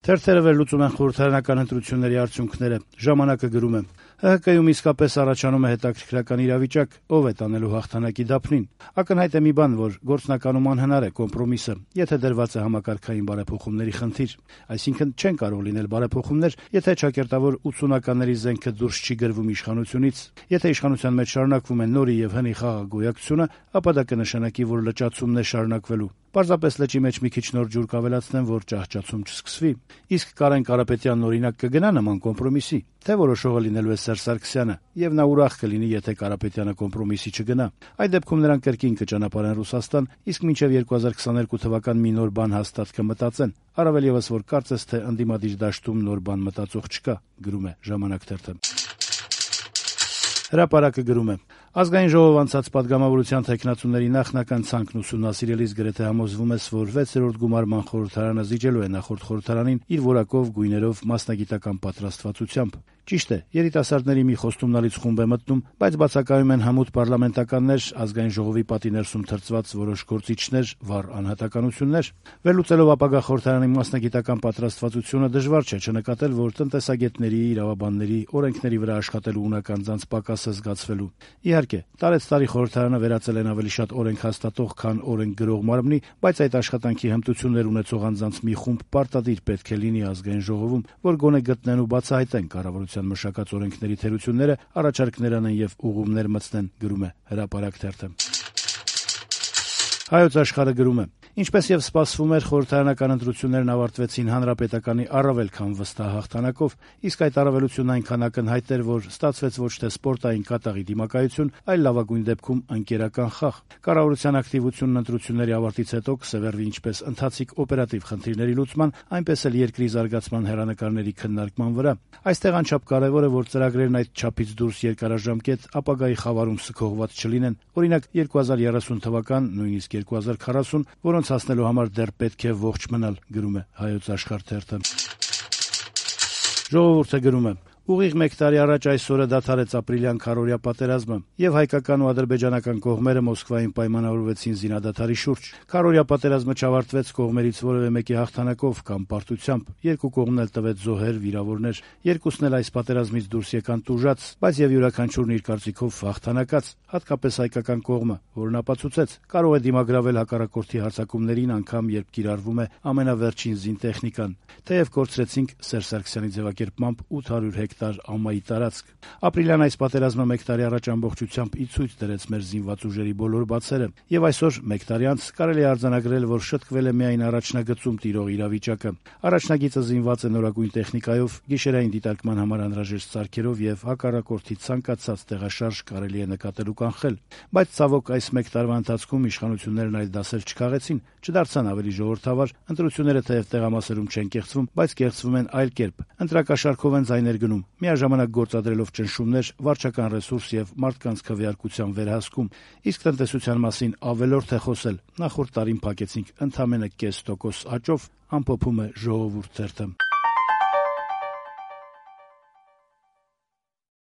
Թերթերը վերլուծում են խորհրդարանական ընտրությունների արդյունքները։ Ժամանակը գրում է. ՀՀԿ-ում իսկապես առաջանում է հետաքրքրական իրավիճակ, ով է տանելու հաղթանակի դափնին։ Ակնհայտ է մի բան, որ գործնականում անհնար է կոմպրոմիսը, եթե դրված է համակարգային բարեփոխումների խնդիր։ Այսինքն չեն կարող լինել բարեփոխումներ, եթե ճակերտավոր 80-ականների զենքը դուրս չի գրվում իշխանությունից։ Եթե իշխանության մեջ շարունակվում է նորի եւ հնի խաղաղագոյակցությունը, ապա դա կնշանակի, որ լճացումն է շարունակվելու։ Պարզապես լճի մեջ մի քիչ նոր ջուր կավելացնեն, որ ճահճացում չսկսվի։ Իսկ Կարեն Կարապետյանն օրինակ կգնա նման կոմպրոմիսի, թե որոշողը լինելու է Սերժ Սարգսյանը, եւ նա ուրախ կլինի, եթե Կարապետյանը կոմպրոմիսի չգնա։ Այդ դեպքում նրանք կրկին կճանապարհեն Ռուսաստան, իսկ մինչեւ 2022 թվական մի նոր բան հաստատ կմտածեն։ Առավել եւս, որ կարծես թե ընդդիմադիր դաշտում նոր բան մտածող չկա, գրում է Ժամանակ թերթը։ Հրապարակը գրում է. Ազգային ժողով անցած պատգամավորության թեկնածուների նախնական ցանկն ուսումնասիրելիս գրեթե համոզվում ես, որ 6-րդ գումարման խորհրդարանը զիջելու է նախորդ խորհրդարանին իր որակով, գույներով, մասնագիտական պատրաստվածությամբ։ Ճիշտ է, երիտասարդների մի խոստումնալից խումբ է մտնում, բայց բացակայում են հմուտ պարլամենտականներ, ազգային ժողովի պատի ներսում թրծված որոշ գործիչներ, վառ անհատականություններ։ Վերլուծելով ապագա խորհրդարանի մասնագիտական պատրաստվածությունը դժվար չէ չնկատել, որ տնտեսագետների, իրավաբանների, օրենքների վրա աշխատելու ունակ անձանց պակասը զգացվելու։ Իհարկե, տարեցտարի խորհրդարանը վերածել են ավելի շատ օրենք հաստատող, քան օրենք գրող մարմնի, բայց այդ աշխատանքի հմտություններ ունեցող անձանց մի խումբ պարտադիր պետք է լինի ազգային ժողովում, որ գոնե գտնեն ու բացահայտեն կառավարության մշակած օրենքների թերությունները, առաջարկներ անեն եւ ուղումներ մտցնեն, գրում է Հրապարակ թերթը։ Հայոց Աշխարհը գրում է. Ինչպես եւ սպասվում էր, խորհրդարանական ընտրություններն ավարտվեցին հանրապետականի առավել քան վստահ հաղթանակով, իսկ այդ առավելությունն այնքան ակնհայտ էր, որ ստացվեց ոչ թե սպորտային կատաղի դիմակայություն, այլ լավագույն դեպքում ընկերական խաղ։ Կառավարության ակտիվությունն ընտրությունների ավարտից հետո կսևեռվի ինչպես ընթացիկ օպերատիվ խնդիրների լուծման, այնպես էլ երկրի զարգացման հեռանկարների քննարկման վրա։ Այստեղ անչափ կարևոր է, որ ծրագրերն այդ չափից դուրս երկարաժամկետ ապագայի խավարում սքողված չլինեն։ Օրինակ 2030 թվական, նույնիսկ 2040, որոնց հասնելու համար դեռ պետք է ողջ մնալ, գրում է Հայոց Աշխարհ թերթը։ Ժողովուրդը գրում է. Ուղիղ մեկ տարի առաջ այսօրը դադարեց ապրիլյան քարոզիա պատերազմը, եւ հայկական ու ադրբեջանական կողմերը Մոսկվայում պայմանավորվեցին զինադադարի շուրջ։ Քարոզիա պատերազմը չավարտվեց կողմերից որևէ մեկի հաղթանակով կամ պարտությամբ։ Երկու կողմն էլ տվեց զոհեր, վիրավորներ։ Երկուսն էլ այս պատերազմից դուրս եկան տուժած, բայց եւ յուրաքանչյուրն իր կարծիքով հաղթանակած, հատկապես հայկական կողմը, որն ապացուցեց, կարող է դիմագրավել հակառակորդի հարձակումներին անգամ երբ կիրառվում է ամենավերջին զինտեխնիկան։ Թեև կորցրեցինք Սերժ Սարգսյանի ձևակերպմամբ 800 հեկտար ամայի տարածք։ Ապրիլյան այս պատերազմը մեկ տարի առաջ ամբողջությամբ ի ցույց դրեց մեր զինված ուժերի բոլոր բացերը, եւ այսօր մեկ տարի անց կարելի է արձանագրել, որ շտկվել է միայն առաջնագծում տիրող իրավիճակը։ Առաջնագիծը զինված է նորագույն տեխնիկայով, գիշերային դիտարկման համար անհրաժեշտ սարքերով եւ հակառակորդի ցանկացած տեղաշարժ կարելի է նկատել ու կանխել։ Բայց ցավոք այս մեկ տարվա ընթացքում իշխանություններն այլ դասեր չքաղեցին, չդարձան ավելի ժողովրդավար, ընտրությունները թեև տեղամասերում չեն կեղծվում, բայց կեղծվում են այլ կերպ։ Ընտրակաշառքով են ձայներ գնում, միաժամանակ գործադրելով ճնշումներ, վարչական ռեսուրս եւ մարդկանց քվեարկության վերահսկում։ Իսկ տնտեսության մասին ավելորդ է խոսել։ Նախորդ տարին փակեցինք ընդամենը 0.5% աճով, ամփոփում է Ժողովուրդ թերթը։